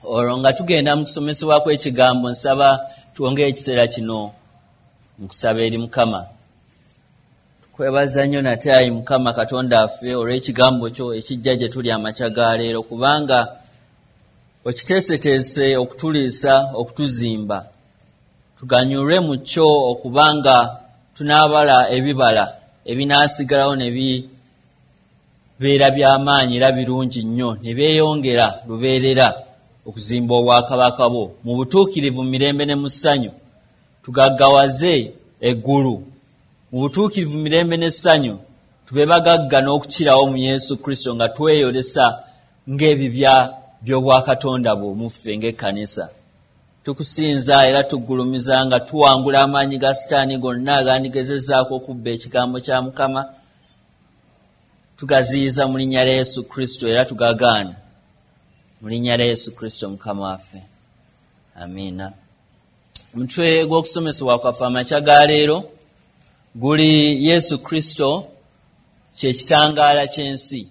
Olwo nga tugenda mu kusomesebwa kw'ekigambo, nsaba twongere ekiseera kino nkusaba eri Mukama. Tukwebaza nnyo nate ayi Mukama Katonda waffe olw'ekigambo kyo ekijja gye tuli amakya ga leero, kubanga okiteeseteese okutuliisa, okutuzimba, tuganyulwe mu kyo okubanga tunaabala ebibala ebinaasigalawo ne bibeera by'amaanyi era birungi nnyo, ne byeyongera lubeerera okuzimba obwakabaka bwo mu butuukirivu, mu mirembe ne mu ssanyu. Tugaggawaze eggulu mu butuukirivu, mirembe n'essanyu, tube bagagga n'okukirawo mu Yesu Kristo, nga tweyolesa ng'ebibya by'obwakatonda bwo mu ffe ng'ekkanisa. Tukusinza era tuggulumiza nga tuwangula amaanyi ga Sitaani gonna agandigezezaako okubba ekigambo kya Mukama. Tugaziyiza mu linnya lya Yesu Kristo era tugagaana mu linnya lya Yesu Kristo Mukama waffe, amiina. Omutwe gw'okusomesebwa kwaffe amakya ga leero guli Yesu Kristo kye kitangaala ky'ensi.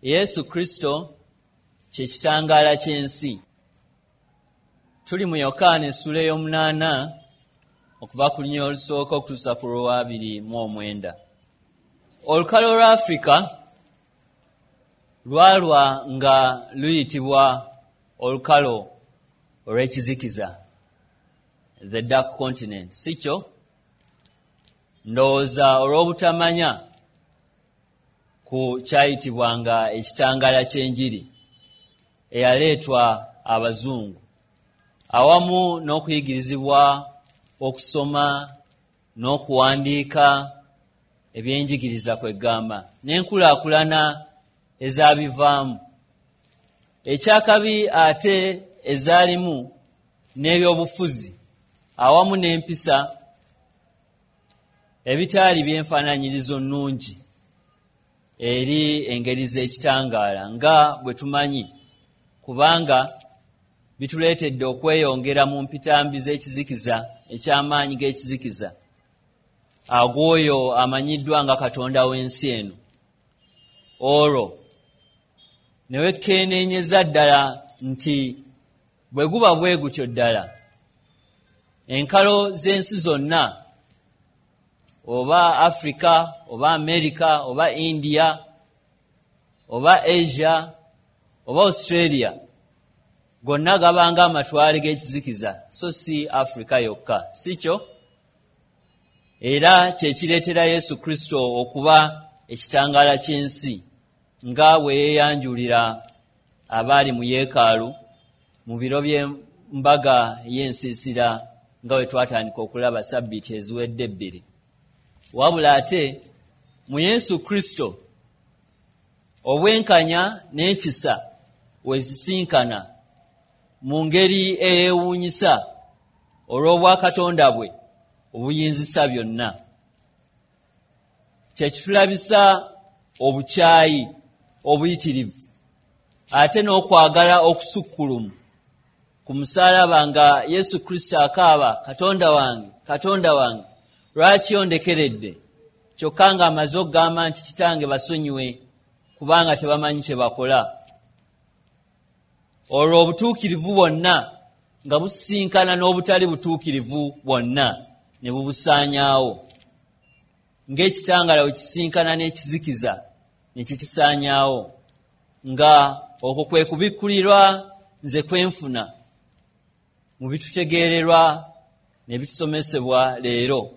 Yesu Kristo kye kitangaala ky'ensi. Tuli mu Yokaana essula ey'omunaana okuva ku lunyiriri olusooka okutuusa ku lw'abiri mu omwenda. Olukalo lwa Afirika lwalwa nga luyitibwa olukalo olw'ekizikiza, the dark continent, si kyo? Ndowooza olw'obutamanya ku kyayitibwanga ekitangaala ky'enjiri eyaleetwa abazungu, awamu n'okuyigirizibwa okusoma n'okuwandiika ebyenjigiriza, kwegamba n'enkulaakulana ezabivaamu, ekyakabi ate ezaalimu n'ebyobufuzi awamu n'empisa ebitaali byenfaananyirizo nnungi eri engeri z'ekitangaala nga bwe tumanyi, kubanga bituleetedde okweyongera mu mpitambi z'ekizikiza eky'amaanyi g'ekizikiza ag'oyo amanyiddwa nga katonda w'ensi eno. Olwo ne wekkeeneenyeza ddala nti bwe guba bwe gutyo ddala, enkalo z'ensi zonna, oba Africa oba America oba India oba Asia oba Australia, gonna gabanga amatwale g'ekizikiza, so si Africa yokka, si kyo? Era kyekireetera Yesu Kristo okuba ekitangaala ky'ensi, nga bwe yeeyanjulira abaali mu yeekaalu mu biro by'embaga y'ensiisira, nga bwe twatandika okulaba sabbiiti eziwedde ebbiri. Wabula ate mu Yesu Kristo obwenkanya n'ekisa wezisinkana mu ngeri eyeewuunyisa olw'obwakatonda bwe obuyinzisa byonna, kyekitulabisa obukyayi obuyitirivu ate n'okwagala okusukkulumu ku musaalaba, nga Yesu Kristo akaaba, "Katonda wange, Katonda wange, lwaki ondekeredde?" Kyokka ng'amaze okugamba nti, "Kitange, basonyiwe, kubanga tebamanyi kye bakola." Olwo obutuukirivu bwonna nga busisinkana n'obutali butuukirivu bwonna ne bubusaanyaawo, ng'ekitangaala bwe kisisinkana n'ekizikiza ne kikisaanyaawo, nga okwo kwe kubikkulirwa nze kwenfuna mu bitutegeererwa ne bitusomesebwa leero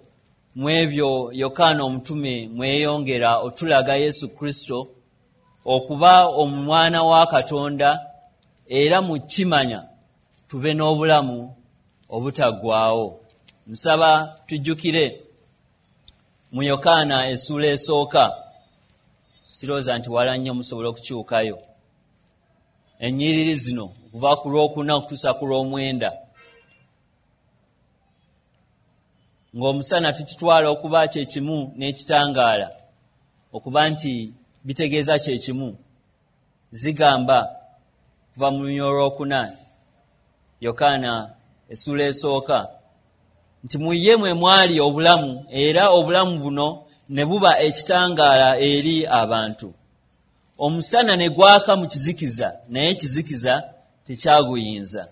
mu ebyo Yokaana omutume mweyongera otulaga Yesu Kristo okuba omwana wa Katonda, era mu kimanya tube n'obulamu obutaggwaawo. Nsaba tujjukire mu Yokaana essuula esooka, sirowooza nti wala nnyo, musobola okukyukayo, ennyiriri zino okuva ku lwokuna okutuusa ku lw'omwenda. Ng'omusana tukitwala okuba kyekimu n'ekitangaala, okuba nti bitegeeza kyekimu, zigamba kuva mu lunyiriri olwokuna, Yokaana essuula esooka, nti mu ye mwe mwali obulamu, era obulamu buno ne buba ekitangaala eri abantu. Omusana ne gwaka mu kizikiza, naye ekizikiza tekyaguyinza.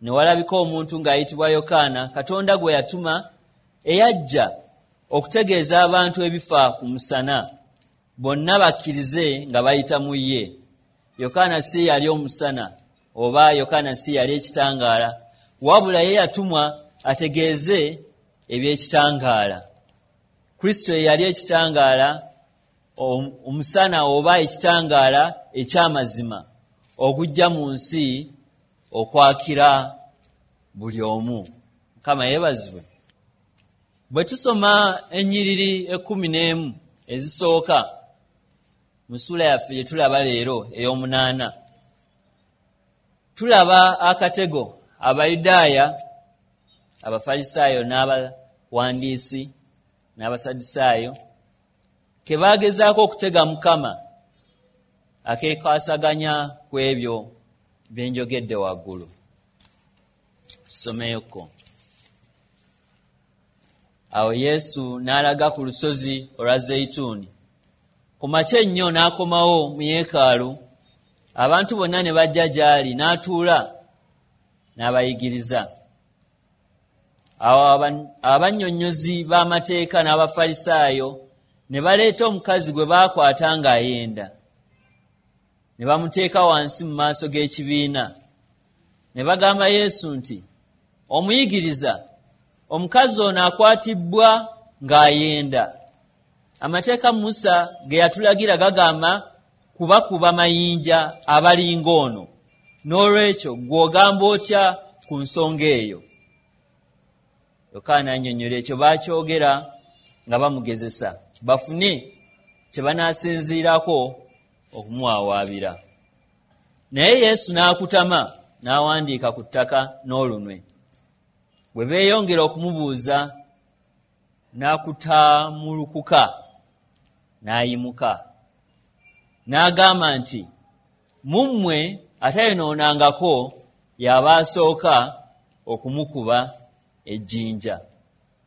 Ne walabika omuntu ng'ayitibwa Yokaana, Katonda gwe yatuma, eyajja okutegeeza abantu ebifa ku musana, bonna bakkirize nga bayita mu ye. Yokaana si yali omusana, oba Yokaana si yali ekitangaala, wabula ye yatumwa ategeeze eby'ekitangaala. Kristo ye yali ekitangaala, omusana oba ekitangaala eky'amazima ogujja mu nsi okwakira buli omu. Mukama yeebazibwe. Bwe tusoma ennyiriri 11 ezisooka mu ssuula yaffe gye tulaba leero ey'omunaana, tulaba akatego Abayudaaya, Abafalisaayo n'abawandiisi n'Abasadusaayo ke baagezaako okutega Mukama, akeekwasaganya ku ebyo bye njogedde waggulu. Tusomeyoko. Awo Yesu n'alaga ku lusozi olwa Zeyituuni. Ku makya ennyo n'akomawo mu yeekaalu, abantu bonna ne bajja gy'ali, n'atuula n'abayigiriza. Awo abannyonnyozi b'amateeka n'Abafalisaayo ne baleeta omukazi gwe baakwata ng'ayenda, ne bamuteeka wansi mu maaso g'ekibiina. Ne bagamba Yesu nti, "Omuyigiriza, omukazi ono akwatibwa ng'ayenda. Amateeka Musa ge yatulagira gagamba kubakuba mayinja abalinga ono. N'olwekyo gw'ogamba otya ku nsonga eyo?" Yokaana annyonnyola ekyo baakyogera nga bamugezesa, bafune kye banaasinziirako okumuwawaabira. Naye Yesu n'akutama n'awandiika ku ttaka n'olunwe. Bwe beeyongera okumubuuza, n'akutaamulukuka n'ayimuka n'agamba nti, "Mu mmwe atayonoonangako y'aba asooka okumukuba ejjinja."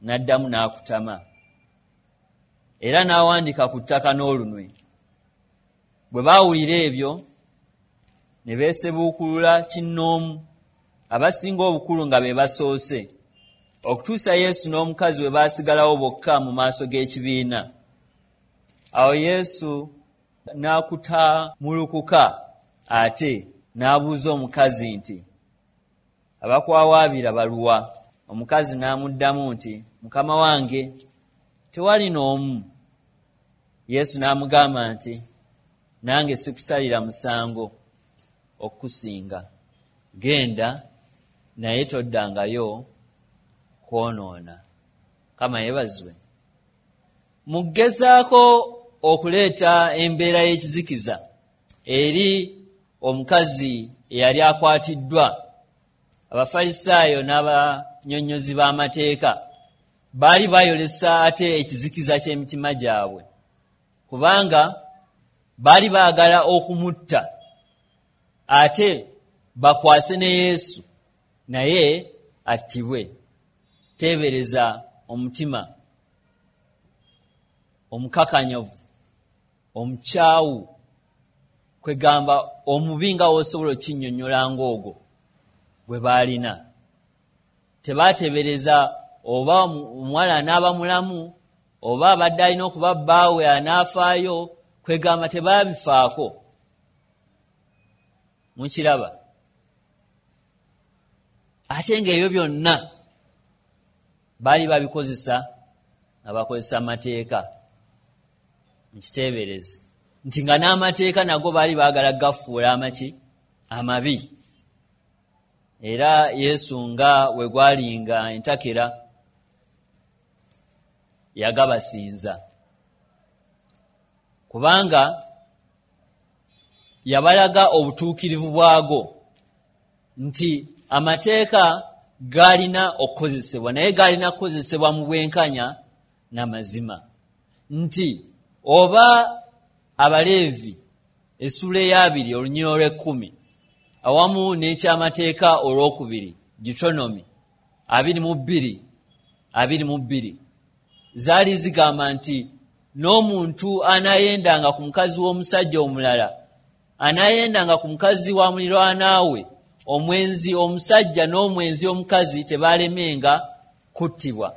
N'addamu n'akutama era n'awandiika ku ttaka n'olunwe. Bwe baawulira ebyo ne beesebuukulula kinnoomu, abasinga obukulu nga be basoose, okutuusa Yesu n'omukazi bwe baasigalawo bokka mu maaso g'ekibiina. Awo Yesu n'akutaamulukuka ate n'abuuza omukazi nti, "Abakwawaabira baluwa?" Omukazi n'amuddamu nti, "Mukama wange, tewali n'omu." Yesu n'amugamba nti, "Nange sikusalira musango okukusinga. Genda, naye toddangayo kwonoona." Mukama yeebazibwe. Mu kugezaako okuleeta embeera y'ekizikiza eri omukazi eyali akwatiddwa, Abafalisaayo n'abannyonnyozi b'amateeka baali bayolesa ate ekizikiza ky'emitima gyabwe, kubanga baali baagala okumutta ate bakwase ne Yesu naye attibwe. Teebereza omutima omukakanyavu, omukyawu, kwegamba omubi nga w'osobola okinnyonnyola ng'ogwo gwe baalina. Tebaateebereza oba omuwala anaaba mulamu, oba abadde alina okuba bbaawe anaafaayo, kwegamba tebaabifaako. Mukiraba? Ate ng'ebyo byonna baali babikozesa nga bakozesa amateeka. Nkiteebereze nti nga n'amateeka nago baali baagala gafuula amaki amabi. Era Yesu nga we gwalinga entakera yagabasinza, kubanga yabalaga obutuukirivu bwago nti amateeka gaalina okukozesebwa, naye gaalina kukozesebwa mu bwenkanya n'amazima. Nti oba Abaleevi essuula ey'abiri olunyiriri olw'ekkumi awamu n'ekyamateeka olwokubiri Deuteronomy 22:22 zaali zigamba nti n'omuntu anaayendanga ku mukazi w'omusajja omulala, anaayendanga ku mukazi wa muliraanaawe, Omwenzi omusajja n'omwenzi omukazi tebalemenga kuttibwa.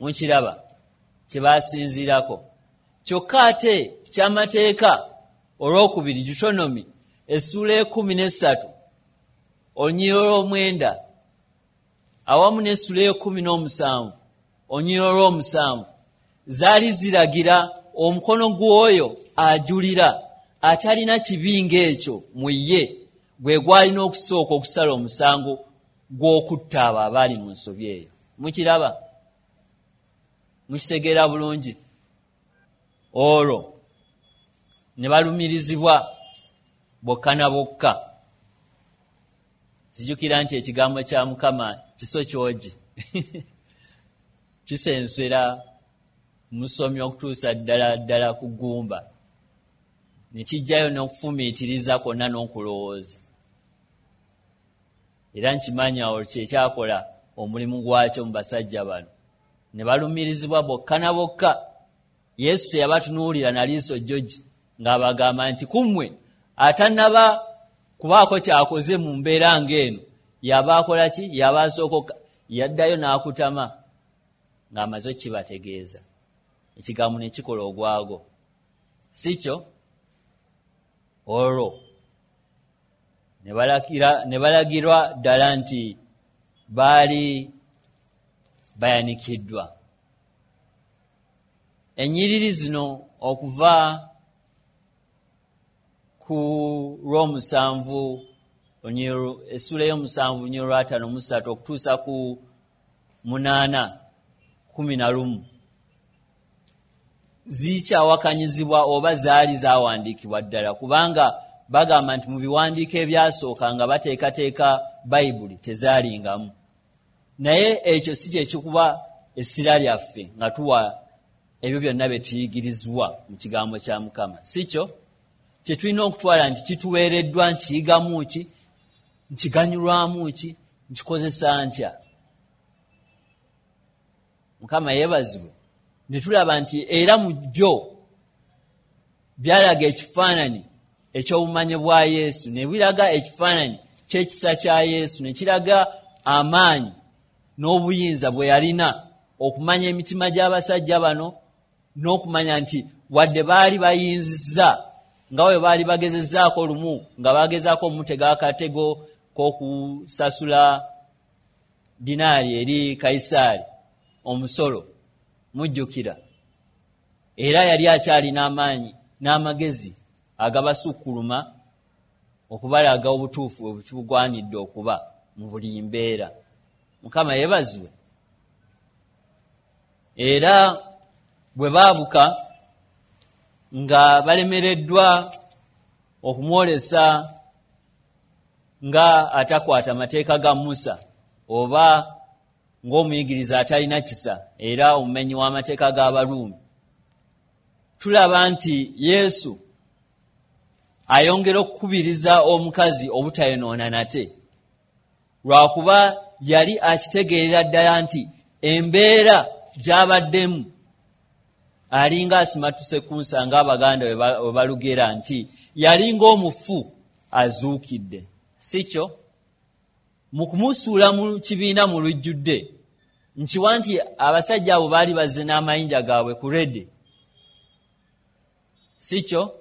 Mukiraba kyebasinziirako. Kyokka ate kyamateeka olwokubiri, Deuteronomy essuula 13 olunyiriri olw'omwenda awamu n'essuula 17 olunyiriri olw'omusanvu zaali ziragira omukono gw'oyo ajulira atalina kibi ng'ekyo mu ye gwe gwalina okusooka okusala omusango gw'okutta abo abaali mu nsobi eyo. Mukiraba? Mukitegeera bulungi? Olwo ne balumirizibwa bokka na bokka. Zijjukira nti ekigambo kya Mukama kiso kyogi kisensera musomi okutuusa ddala ddala ku ggumba, ne kijjayo n'okufumiitiriza kwonna n'okulowooza. Era nkimanyi awo kyekyakola omulimu gwakyo mu basajja bano. Ne balumirizibwa bokka na bokka. Yesu teyabatunuulira na liiso jjogi ng'abagamba nti ku mmwe atannaba kubaako ky'akoze mu mbeera ng'eno yaba akola ki? Yaba asooka yaddayo n'akutama ng'amaze okukibategeeza. Ekigambo ne kikola ogwago, si kyo? Olwo ne balagirwa ddala nti baali bayanikiddwa. Ennyiriri zino okuva ku lw'omusanvu, essuula y'omusanvu olunyiriri lwa 53 okutuusa ku 8:11 zikyawakanyizibwa oba zaali zaawandiikibwa ddala, kubanga bagamba nti mu biwandiiko ebyasooka nga bateekateeka Bayibuli tezaalingamu. Naye ekyo si kye kikuba essira lyaffe nga tuwa ebyo byonna bye tuyigirizibwa mu kigambo kya Mukama, si kyo? Kye tulina okutwala nti kituweereddwa, nkiyigamu ki, nkiganyulwamu ki, nkikozesa ntya? Mukama yeebazibwe. Ne tulaba nti era mu byo byalaga ekifaananyi eky'obumanyi bwa Yesu, ne biraga ekifaananyi ky'ekisa kya Yesu, ne kiraga amaanyi n'obuyinza bwe yalina okumanya emitima gy'abasajja bano, n'okumanya nti wadde baali bayinzizza nga bwe baali bagezezzaako lumu nga bagezaako omutega akatego k'okusasula dinaari eri Kayisaali omusolo, mujjukira, era yali akyalina amaanyi n'amagezi agabasukkuluma okubalaga obutuufu bwe bugwanidde okuba mu buli mbeera. Mukama yeebazibwe. Era bwe baabuka nga balemereddwa okumwolesa nga atakwata mateeka ga Musa oba ng'omuyigiriza atalina kisa era omumenyi w'amateeka g'Abaruumi, tulaba nti Yesu ayongera okukubiriza omukazi obutayonoona nate, lwakuba yali akitegeerera ddala nti embeera gy'abaddemu alinga asimattuse ku nsa, ng'Abaganda bwe balugera nti yali ng'omufu azuukidde, si kyo? Mu kumusuula mu kibiina mu lujjudde, nkiwa nti abasajja abo baali bazze n'amayinja gaabwe ku rede, si kyo?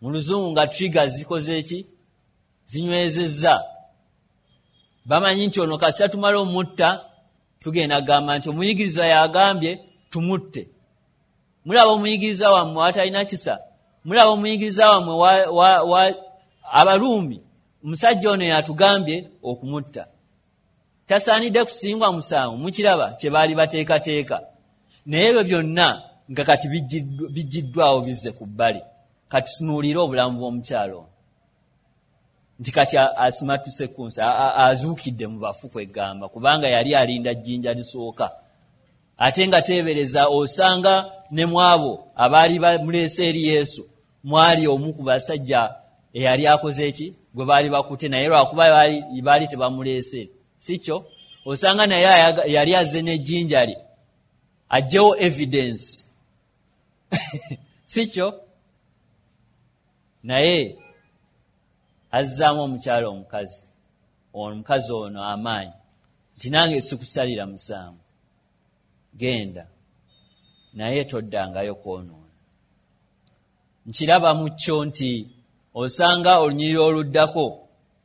Mu luzungu nga trigger zikoze ki? Zinywezezza. Bamanyi nti ono kasita tumala omutta tugenda kugamba nti omuyigiriza yagambye tumutte. Mulaba omuyigiriza wammwe atalina kisa, mulaba omuyigiriza wammwe Abaruumi, omusajja ono yatugambye okumutta, tasaanidde kusingwa musango. Mukiraba kye baali bateekateeka. Naye ebyo byonna nga kati bijjiddwawo bizze ku bbali. Kati tunuulire obulamu bw'omukyalo ono nti kati asimattuse ku nsi, azuukidde mu bafu kwegamba, kubanga yali alinda jjinja lisooka. Ate nga teebereza osanga ne mu abo abaali bamuleese eri Yesu mwali omu ku basajja eyali akoze ki gwe baali bakutte, naye lwakuba baali tebamuleese, si kyo? Osanga naye yali azze n'ejjinja lye aggyewo evidence, si kyo? Naye Azzaamu omukyala omukazi omukazi ono amaanyi nti nange sikusalira musango, genda naye toddangayo kwonoona. Nkiraba mu kyo nti osanga olunyiriri oluddako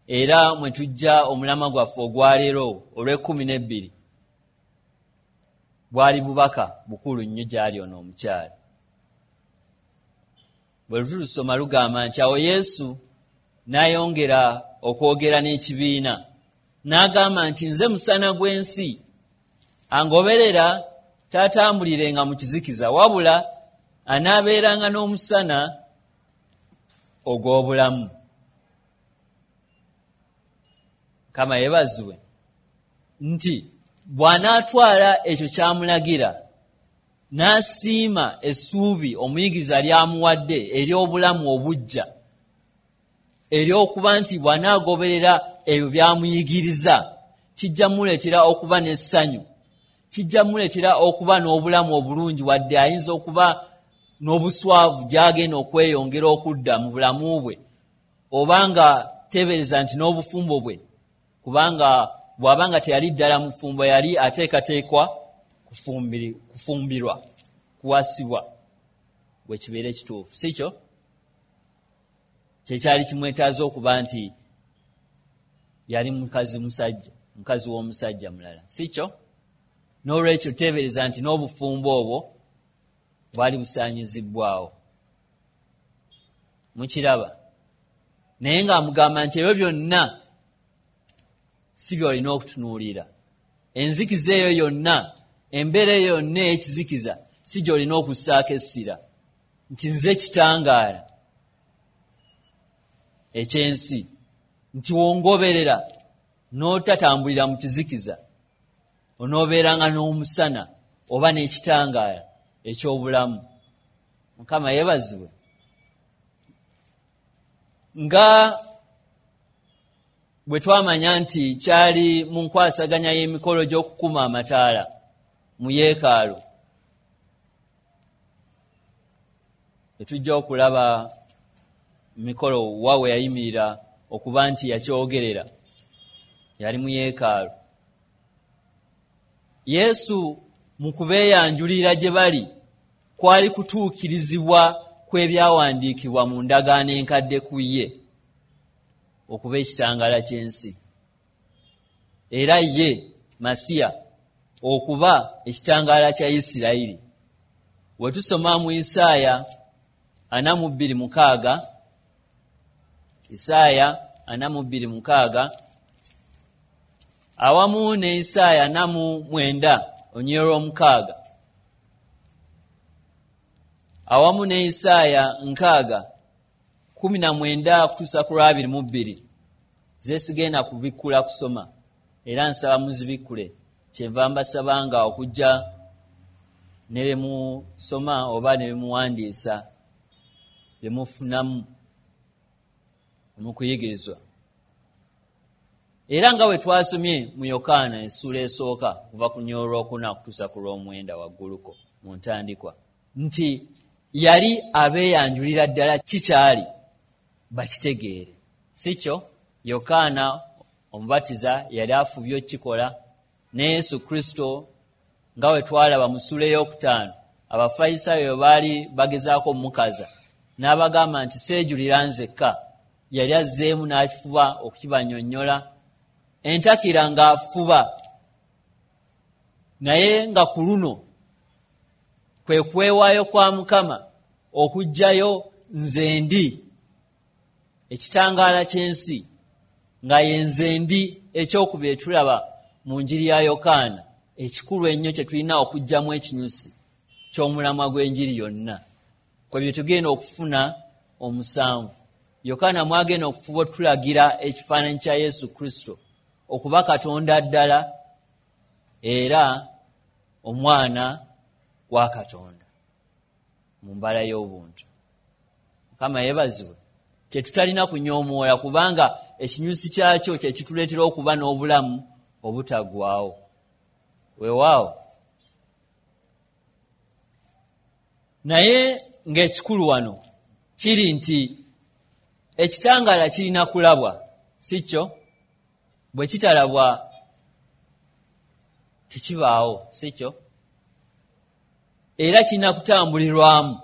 era mwe tujja omulamwa gwaffe ogwaleero olw'e12 bwali bubaka bukulu nnyo gy'ali ono omukyala. Bwe tulusoma lugamba nti awo Yesu n'ayongera okwogera n'ekibiina n'agamba nti nze musana gw'ensi, angoberera taatambulirenga mu kizikiza, wabula anaabeeranga n'omusana ogw'obulamu. Mukama yeebazibwe nti bw'anaatwala ekyo ky'amulagira n'asiima essuubi omuyigiriza lyamuwadde ery'obulamu obuggya, ery'okuba nti bw'anaagoberera ebyo by'amuyigiriza kijja muleetera okuba n'essanyu, kijja muleetera okuba n'obulamu obulungi, wadde ayinza okuba n'obuswavu gy'agenda okweyongera okudda mu bulamu bwe, oba nga teebereza nti n'obufumbo bwe, kubanga bw'aba nga teyali ddala mufumbo yali ateekateekwa kufumbirwa, kuwasibwa, bwe kibeera ekituufu, si kyo? Kyekyali kimwetaaza okuba nti yali mukazi musajja, mukazi w'omusajja mulala, si kyo? N'olwekyo teebereza nti n'obufumbo obwo bwali busaanyizibbwawo. Mukiraba? Naye ng'amugamba nti ebyo byonna si by'olina okutunuulira. Enzikiza eyo yonna, embeera eyo yonna ey'ekizikiza si gy'olina okussaako essira, nti nze kitangaala eky'ensi, nti wongoberera n'otatambulira mu kizikiza onoobeeranga n'omusana oba n'ekitangaala eky'obulamu. Mukama yeebazibwe. Nga bwe twamanya nti kyali mu nkwasaganya y'emikolo gy'okukuma amataala mu yeekaalu, tetujja okulaba mikolo wa we yayimirira okuba nti yakyogerera, yali mu yeekaalu. Yesu mu kubeeyanjulira gye bali kwali kutuukirizibwa kw'ebyawandiikibwa mu ndagaano enkadde ku ye okuba ekitangaala ky'ensi, era ye Masiya okuba ekitangaala kya Isirayiri. Bwe tusoma mu Isaaya 42:6, Isaaya 42:6 awamu ne Isaaya 49:6 awamu ne Isaaya 6:19 kutuusa ku 22, zesigenda kubikkula kusoma, era nsaba muzibikkule. Kyenva mbasabanga okujja ne bye musoma oba ne bye muwandiisa bye mufunamu mu kuyigirizwa. Era nga bwe twasomye mu Yokaana essuula esooka okuva ku lunyiriri olwokuna okutuusa ku lw'omwenda wagguluko mu ntandikwa, nti yali abeeyanjulira ddala kikyali bakitegeere, si kyo? Yokaana omubatiza yali afubye okukikola, ne Yesu Kristo nga bwe twalaba mu ssuula ey'okutaano Abafalisaayo baali bagezaako omukaza n'abagamba nti seejulira nzekka, yali azzeemu n'akifuba okukibannyonnyola entakira ng'afuba, naye nga ku luno kwe kwewaayo kwa Mukama okuggyayo nze ndi ekitangaala ky'ensi, nga ye nze ndi ekyokubiri tulaba mu njiri ya Yokaana ekikulu ennyo kye tulina okuggyamu ekinyusi ky'omulamwa gw'enjiri yonna, kwe bye tugenda okufuna omusanvu. Yokaana mwagenda okufuba otulagira ekifaananyi kya Yesu Kristo okuba Katonda ddala era omwana wa Katonda mu mbala y'obuntu. Mukama yeebazibwe. Kye tutalina kunyoomoola, kubanga ekinyusi kyakyo kye kituleetera okuba n'obulamu obutaggwaawo. Weewaawo. Naye ng'ekikulu wano kiri nti Ekitangaala kirina kulabwa, si kyo? Bwe kitalabwa tekibaawo, si kyo? Era kirina kutambulirwamu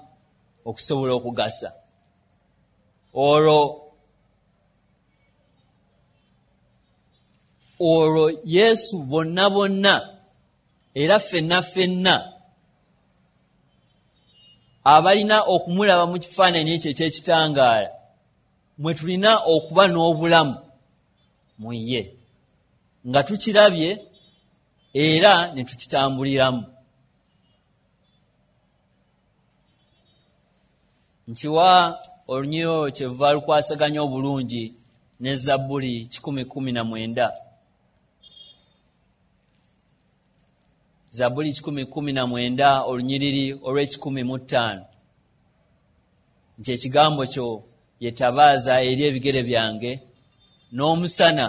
okusobola okugasa. Olwo Yesu bonna bonna era ffenna ffenna abalina okumulaba mu kifaananyi ekyo eky'ekitangaala, mwe tulina okuba n'obulamu mu ye, nga tukirabye era ne tukitambuliramu. Nkiwa olunyiriri olwo kyevuva lukwasaganya obulungi ne Zabbuli 119. Zabbuli 119 olunyiriri olw'e105, nti ekigambo kyo ye ttabaaza eri ebigere byange n'omusana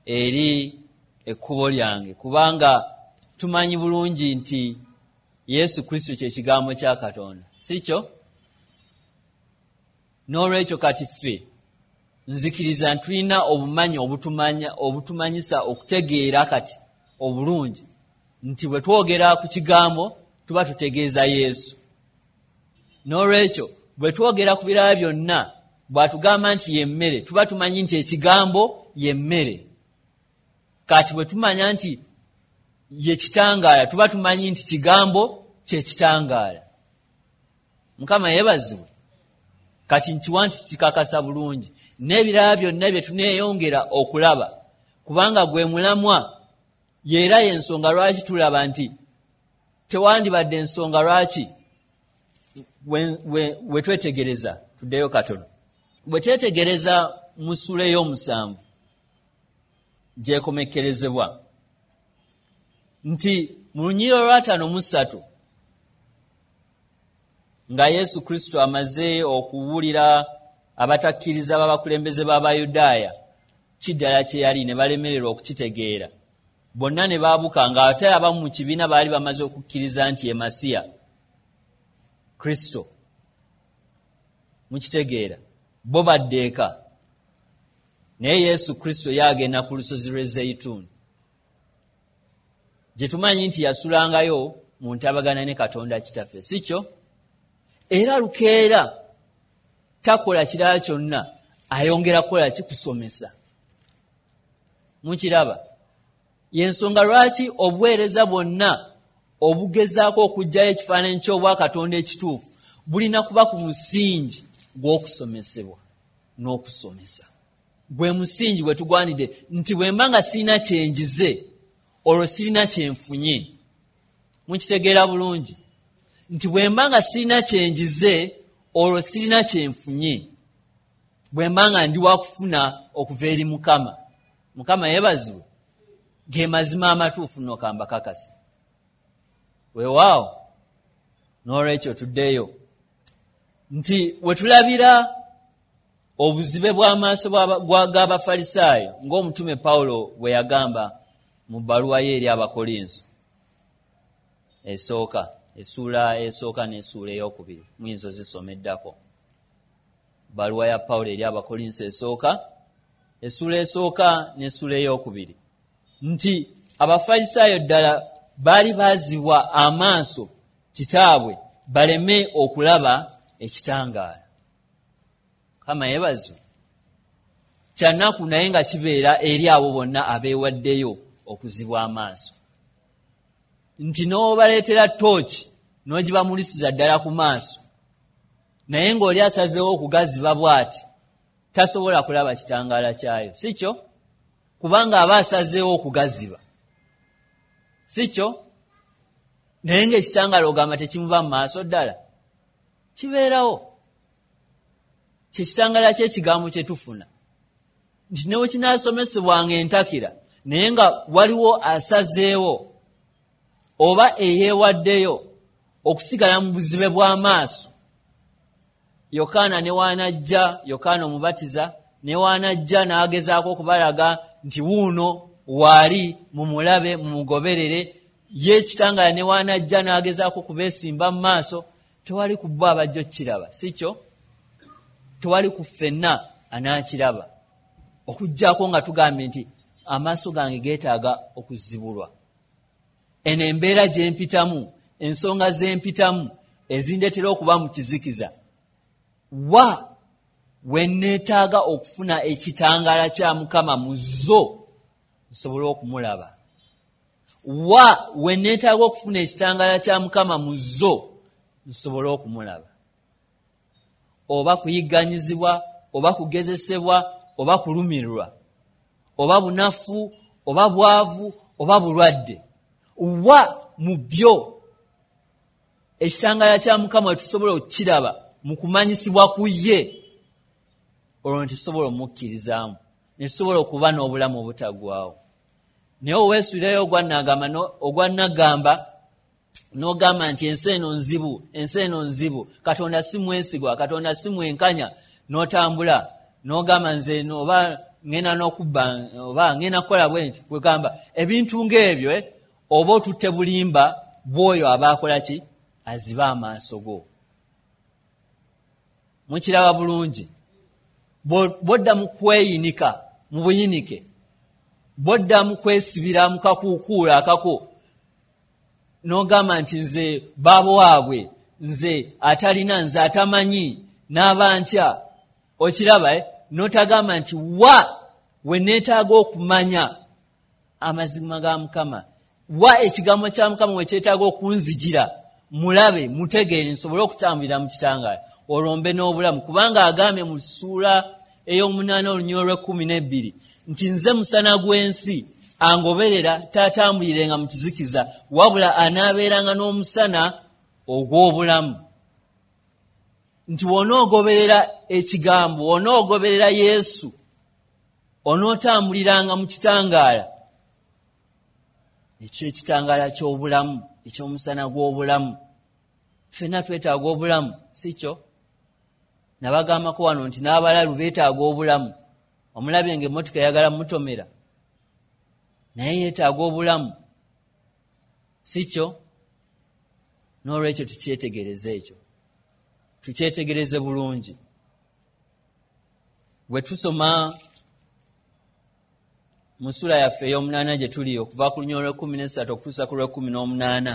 eri ekkubo lyange. Kubanga tumanyi bulungi nti Yesu Kristo kye kigambo kya Katonda, si kyo? N'olwekyo kati ffe nzikiriza nti tulina obumanyi obutumanyisa okutegeera kati obulungi nti bwe twogera ku kigambo tuba tutegeeza Yesu. N'olwekyo bwe twogera ku birala byonna, bw'atugamba nti ye mmere, tuba tumanyi nti ekigambo ye mmere. Kati bwe tumanya nti ye kitangaala, tuba tumanyi nti kigambo kye kitangaala. Mukama yeebazibwe. Kati nkiwa nti kikakasa bulungi n'ebirala byonna bye tuneeyongera okulaba, kubanga gwe mulamwa. Yeera y'ensonga lwaki tulaba nti tewandibadde ensonga lwaki we twetegereza. Tuddeyo katono. Bwe twetegereza mu ssuula ey'omusanvu gyekomekkerezebwa nti mu lunyiriri olw'ataano mu ssatu, nga Yesu Kristo amaze okuwulira abatakkiriza b'abakulembeze b'Abayudaaya kiddala kye yali, ne balemererwa okukitegeera bonna ne baabuka, ng'ate abamu mu kibiina baali bamaze okukkiriza nti ye Masiya Kristo. Mukitegeera, bo badde eka, naye Yesu Kristo yagenda ku lusozi lw'e Zeyituuni, gye tumanyi nti yasulangayo mu ntabagana ne Katonda Kitaffe, si kyo? Era lukeera takola kirala kyonna, ayongera kukola kikusomesa. Mukiraba, y'ensonga lwaki obuweereza bwonna obugezaako okuggyayo ekifaananyi ky'Obwakatonda ekituufu bulina kuba ku musingi gw'okusomesebwa n'okusomesa. Gwe musingi gwe tugwanidde nti bwe mba nga sirina kye njize, olwo sirina kye nfunye. Mukitegeera bulungi nti bwe mba nga sirina kye njize, olwo sirina kye nfunye, bwe mba nga ndi wa kufuna okuva eri Mukama. Mukama yeebazibwe. Ge mazima amatuufu nno kambakakasa. Weewaawo, n'olwekyo tuddeyo nti we tulabira obuzibe bw'amaaso g'Abafalisaayo, ng'omutume Pawulo bwe yagamba mu bbaluwa ye eri Abakolinso esooka, essuula esooka n'essuula ey'okubiri, muyinza ozisoma eddako. Bbaluwa ya Pawulo eri Abakolinso esooka, essuula esooka n'essuula ey'okubiri, nti Abafalisaayo ddala baali baazibwa amaaso kitaabwe baleme okulaba ekitangaala. Mukama yeebazibwe. Kya nnaku naye nga kibeera eri abo bonna abeewaddeyo okuzibwa amaaso, nti n'obaleetera ttooki n'ogibamulisiza ddala ku maaso, naye ng'oli asazeewo okugaziba bw'ati tasobola kulaba kitangaala kyayo, si kyo? Kubanga aba asazeewo okugaziba, si kyo? Naye ng'ekitangaala ogamba tekimuba mu maaso ddala, kibeerawo. Kye kitangaala ky'ekigambo kye tufuna, nti ne bwe kinaasomesebwanga entakira, naye nga waliwo asazeewo oba eyeewaddeyo okusigala mu buzibe bw'amaaso. Yokaana ne waanajja, Yokaana Omubatiza ne waanajja n'agezaako okubalaga nti wuuno waali, mumulabe, mumugoberere. Ye ekitangaala ne waanajja n'agezaako okubeesimba mu maaso, tewali ku bo abajja okukiraba, si kyo? Tewali ku ffenna anaakiraba, okuggyako nga tugambye nti amaaso gange geetaaga okuzibulwa. Eno embeera gye mpitamu, ensonga ze mpitamu ezindeetera okuba mu kizikiza, wa we neetaaga okufuna ekitangaala kya Mukama mu zo nsobole okumulaba? Wa we neetaaga okufuna ekitangaala kya Mukama mu zo nsobole okumulaba? Oba kuyigganyizibwa, oba kugezesebwa, oba kulumirwa, oba bunafu, oba bwavu, oba bulwadde, wa mu byo ekitangaala kya Mukama we tusobola okukiraba mu kumanyisibwa ku ye, olwo ne tusobola omukkirizaamu, ne tusobola okuba n'obulamu obutaggwaawo. Naye oweesuulirayo ogwannagamba n'ogamba nti ensi eno nzibu, ensi eno nzibu, Katonda si mwesigwa, Katonda si mwenkanya, n'otambula n'ogamba nze oba ngenda n'okubba, oba ngenda kukola bwe nti, kwegamba ebintu ng'ebyo, oba otutte bulimba bw'oyo aba akola ki? Aziba amaaso go. Mukiraba bulungi. Bw'odda mu kweyinika mu buyinike, bw'odda mu kwesibira mu kakuukuulu akako, n'ogamba nti nze baabo waabwe, nze atalina, nze atamanyi, n'aba ntya, okiraba, n'otagamba nti wa we neetaaga okumanya amazima ga Mukama, wa ekigambo kya Mukama we kyetaaga okunzijira, mulabe, mutegeere, nsobole okutambulira mu kitangaala, olwo mbe n'obulamu. Kubanga agambye mu ssuula ey'omunaana olunyiriri olw'ekkumi n'ebbiri nti nze musana gw'ensi, angoberera taatambulirenga mu kizikiza, wabula anaabeeranga n'omusana ogw'obulamu. Nti w'onoogoberera ekigambo, w'onoogoberera Yesu, onootambuliranga mu kitangaala ekyo, ekitangaala ky'obulamu, eky'omusana gw'obulamu. Ffenna twetaaga obulamu, si kyo? Nabagambako wano nti n'abalalu beetaaga obulamu. Omulabye ng'emmotoka eyagala mutomera, naye yeetaaga obulamu, si kyo? N'olwekyo tukyetegereze ekyo, tukyetegereze bulungi. Bwe tusoma mu ssuula yaffe ey'omunaana gye tuli, okuva ku lunyiriri olw'ekkumi n'essatu okutuusa ku lw'ekkumi n'omunaana,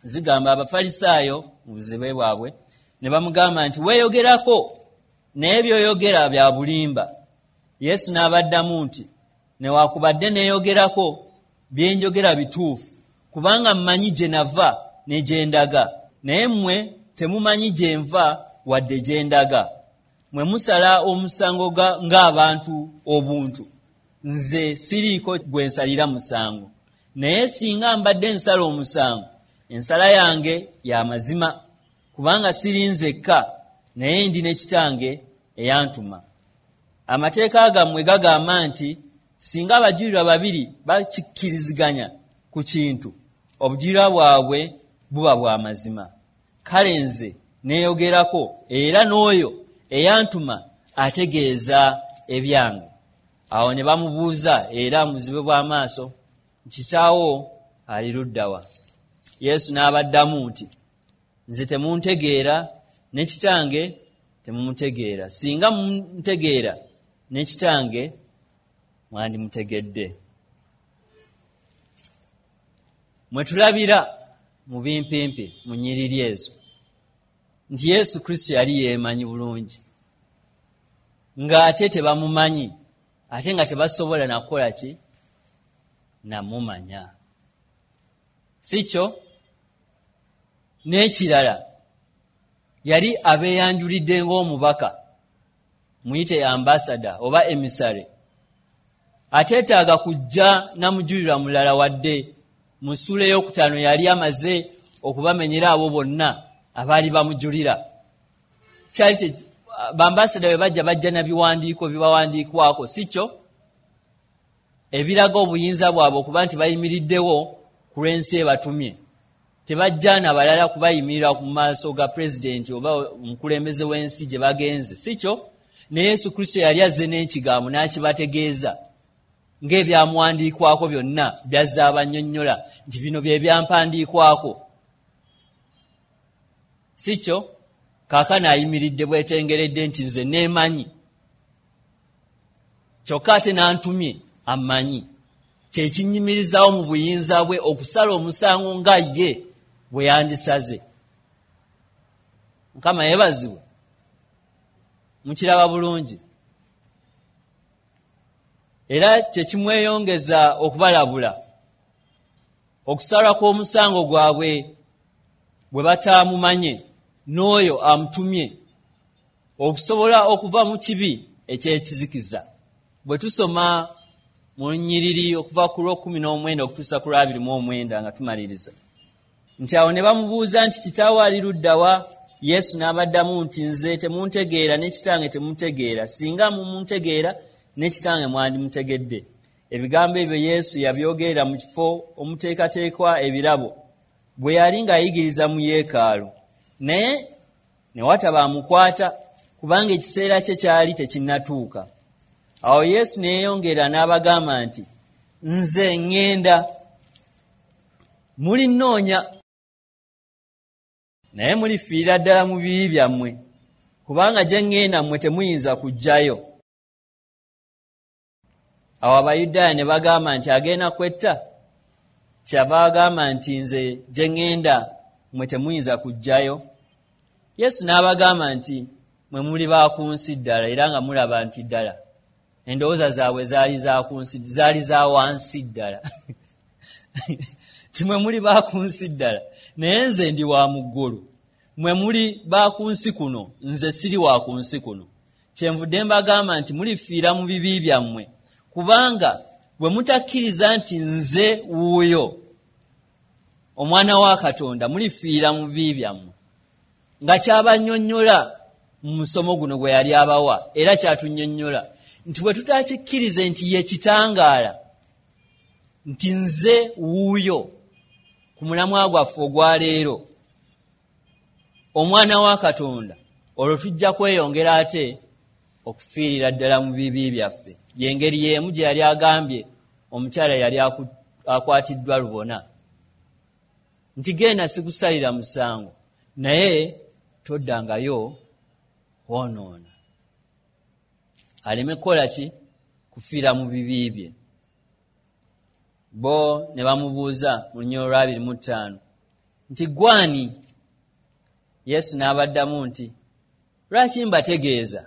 zigamba Abafalisaayo mu buzibe bwabwe ne bamugamba nti weeyogerako, naye by'oyogera bya bulimba. Yesu n'abaddamu nti newaakubadde neeyogerako, bye njogera bituufu, kubanga mmanyi gye nava ne gye ndaga, naye mmwe temumanyi gye nva wadde gye ndaga. Mwe musala omusango ng'abantu obuntu, nze siriiko gwe nsalira musango. Naye singa mbadde nsala omusango, ensala yange ya mazima, kubanga siri nzekka, naye ndi ne Kitange eyantuma. Amateeka gammwe gagamba nti singa abajulirwa babiri bakikkiriziganya ku kintu, obujulirwa bwabwe buba bwa mazima. Kale nze neeyogerako, era n'oyo eyantuma ategeeza ebyange. Awo ne bamubuuza era muzibe bw'amaaso, kitaawo ali ludda wa? Yesu n'abaddamu nti nze temuntegeera, ne Kitange temumutegeera. Singa muntegeera, ne Kitange mwandimutegedde. Mwe tulabira mu bimpimpi mu nnyiriri ezo nti Yesu Kristo yali yeemanyi bulungi, ng'ate tebamumanyi, ate nga tebasobola nakukola ki? Namumanya, si kyo? N'ekirala, yali abeeyanjulidde ng'omubaka, muyite ambasada oba emisare, ateetaaga kujja namujulirwa mulala. Wadde mu ssuula ey'okutaano yali amaze okubamenyera abo bonna abaali bamujulira. Kyali bambasada bwe bajja, bajja na biwandiiko bibawandiikwako, si kyo? Ebiraga obuyinza bwabwe okuba nti bayimiriddewo ku lw'ensi ebatumye. Tebajja na balala kubayimirira ku maaso ga pulezidenti oba omukulembeze w'ensi gye bagenze, si kyo? Ne Yesu Kristo yali azze n'ekigambo n'akibategeeza ng'ebyamuwandiikwako byonna byazze abannyonnyola nti bino bye byampandiikwako, si kyo? Kaakano ayimiridde bwetengeredde nti nze neemanyi, kyokka ate n'antumye ammanyi. Kyekinnyimirizaawo mu buyinza bwe okusala omusango nga ye bwe yandisaze. Mukama yeebazibwe. Mukiraba bulungi. Era kyekimweyongeza okubalabula okusalwa kw'omusango gwabwe bwe bataamumanye n'oyo amutumye, okusobola okuva mu kibi eky'ekizikiza. Bwe tusoma mu nnyiriri okuva ku lw'okkumi n'omwenda okutuusa ku lw'abiri mu omwenda nga tumaliriza, nti awo ne bamubuuza nti, "Kitaawo ali ludda wa?" Yesu n'abaddamu nti, "Nze temuntegeera ne Kitange temutegeera. Singa mumuntegeera, ne Kitange mwandimutegedde." Ebigambo ebyo Yesu yabyogerera mu kifo omuteekateekwa ebirabo, bwe yali ng'ayigiriza mu yeekaalu. Naye ne wataba amukwata, kubanga ekiseera kye kyali tekinnatuuka. Awo Yesu ne yeeyongera n'abagamba nti, "Nze ŋŋenda, mulinnoonya, naye mulifiirira ddala mu bibi byammwe, kubanga gye ŋŋenda mmwe temuyinza kujjayo." Awo Abayudaaya ne bagamba nti, "Agenda kwetta? Kyava agamba nti, 'Nze gye ŋŋenda mmwe temuyinza kujjayo.'" Yesu n'abagamba nti, "Mwe muli ba ku nsi ddala." Era nga mulaba nti ddala endowooza zaabwe zaali za ku nsi, zaali za wansi ddala. Ti mwe muli ba ku nsi ddala, naye nze ndi wa mu ggulu. Mwe muli ba ku nsi kuno, nze siri wa ku nsi kuno. Kyenvudde mbagamba nti mulifiira mu bibi byammwe, kubanga bwe mutakkiriza nti nze wuuyo Omwana wa Katonda, mulifiira mu bibi byammwe. Nga kyabannyonnyola mu musomo guno gwe yali abawa, era kyatunnyonnyola nti bwe tutakikkirize nti ye kitangaala, nti nze wuuyo, ku mulamwa gwaffe ogwaleero, Omwana wa Katonda, olwo tujja kweyongera ate okufiirira ddala mu bibi byaffe. Yengeri y'emu gye yali agambye omukyala yali akwatiddwa lubona nti, "Genda, sikusalira musango, naye toddangayo kwonoona," aleme kukola ki? Kufiira mu bibi bye. Bo ne bamubuuza mu lunyiriri olwa 25 nti, "Gwani?" Yesu n'abaddamu nti, "Lwaki mbategeeza?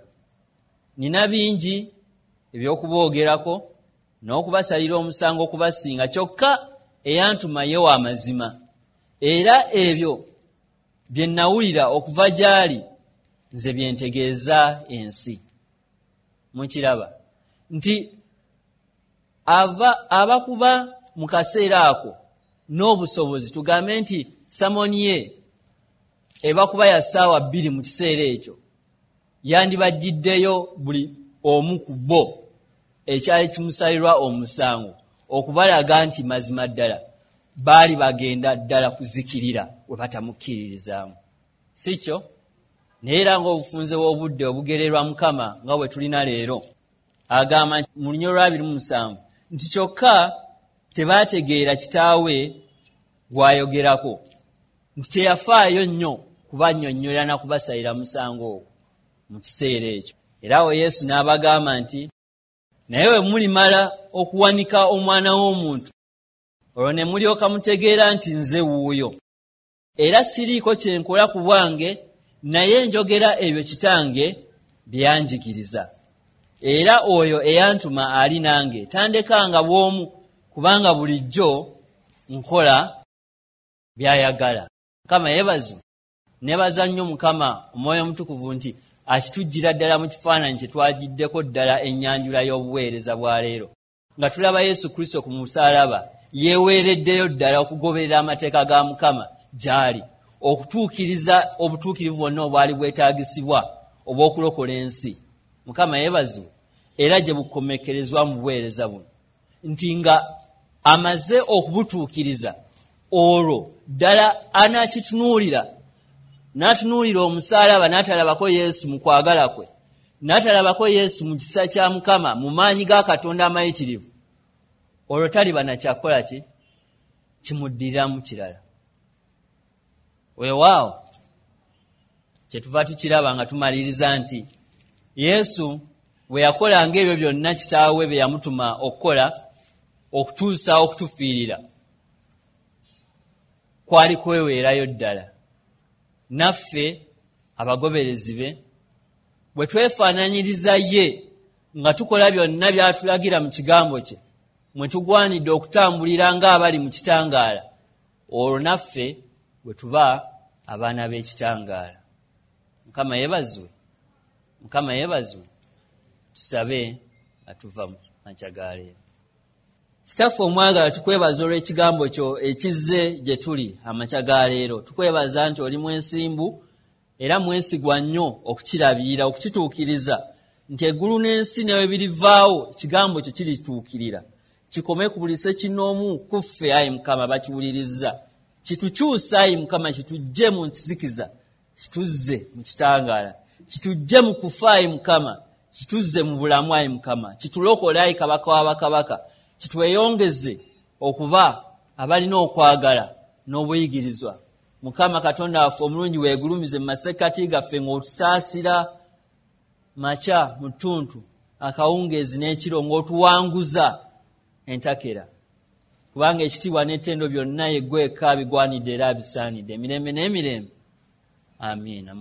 Nina bingi eby'okuboogerako n'okubasalira omusango okubasinga. Kyokka eyantuma ye wa mazima, era ebyo bye nawulira okuva gy'ali nze bye ntegeeza ensi." Mukiraba nti ava abakuba mu kaseera ako n'obusobozi, tugambe nti sermon ye eba kuba ya ssaawa 2 mu kiseera ekyo, yandibajjiddeyo buli omu ku bo ekyali kimusalirwa omusango, okubalaga nti mazima ddala baali bagenda ddala kuzikirira we batamukkiririzaamu, si kyo? Naye era ng'obufunze bw'obudde obugererwa Mukama nga bwe tulina leero, agamba mu lunyiriri olwa 27 nti kyokka tebaategeera Kitaawe gw'ayogerako, nti teyafaayo nnyo kubannyonnyola na kubasalira musango ogwo mu kiseera ekyo. Era awo Yesu n'abagamba nti, "Naye bwe mulimala okuwanika Omwana w'Omuntu, olwo ne mulyoka mutegeera nti nze wuuyo, era siriiko kye nkola ku bwange, naye njogera ebyo Kitange bye yanjigiriza. Era oyo eyantuma ali nange, tandekanga bw'omu, kubanga bulijjo nkola byayagala." Mukama yeebazibwe. Nebaza nnyo Mukama Omwoyo Omutukuvu nti akitujjira ddala mu kifaananyi kye twagiddeko ddala ennyanjula y'obuweereza bwa leero, nga tulaba Yesu Kristo ku musaalaba yeeweereddeyo ddala okugoberera amateeka ga Mukama gy'ali, okutuukiriza obutuukirivu bwonna obwali bwetaagisibwa obw'okulokola ensi. Mukama yeebazibwe. Era gye bukomekkerezwa mu buweereza buno, nti nga amaze okubutuukiriza, olwo ddala anaakitunuulira n'atunuulira omusaalaba, n'atalabako Yesu mu kwagala kwe, n'atalabako Yesu mu kisa kya Mukama, mu maanyi ga Katonda amayitirivu, olwo taliba nakyakukola ki kimuddiriramu kirala. Weewaawo. Kyetuva tukiraba nga tumaliriza nti Yesu bwe yakolanga ebyo byonna kitaawe bye yamutuma okukola okutuusa okutufiirira, kwali kweweerayo ddala. Naffe abagoberezi be bwe twefaananyiriza ye nga tukola byonna by'atulagira mu kigambo kye, mwe tugwanidde okutambulira ng'abali mu kitangaala, olwo naffe bwe tuba abaana b'ekitangaala. Mukama yeebazibwe, Mukama yeebazibwe. Tusabe nga tuva mu makya ga leero. Kitaffe omwagala, tukwebaza olw'ekigambo kyo ekizze gye tuli amakya ga leero. Tukwebaza nti oli mwesimbu era mwesigwa nnyo okukirabirira, okukituukiriza, nti eggulu n'ensi ne bwe birivaawo, ekigambo kyo kirituukirira, kikome ku buli ssekinnoomu ku ffe, ayi Mukama, bakiwulirizza. Kitukyuse, ayi Mukama, kituggye mu nkizikiza, kituzze mu kitangaala, kituggye mu kufa, ayi Mukama, kituzze mu bulamu, ayi Mukama, kitulokole, ayi Kabaka w'abakabaka, kitweyongeze okuba abalina okwagala n'obuyigirizwa. Mukama Katonda waffe omulungi, weegulumize mu masekkati gaffe ng'otusaasira makya, mu ttuntu, akawungeezi n'ekiro, ng'otuwanguza entakera, kubanga ekitiibwa n'ettendo byonna yeggweka bigwanidde era bisaanidde emirembe n'emirembe. Amiina.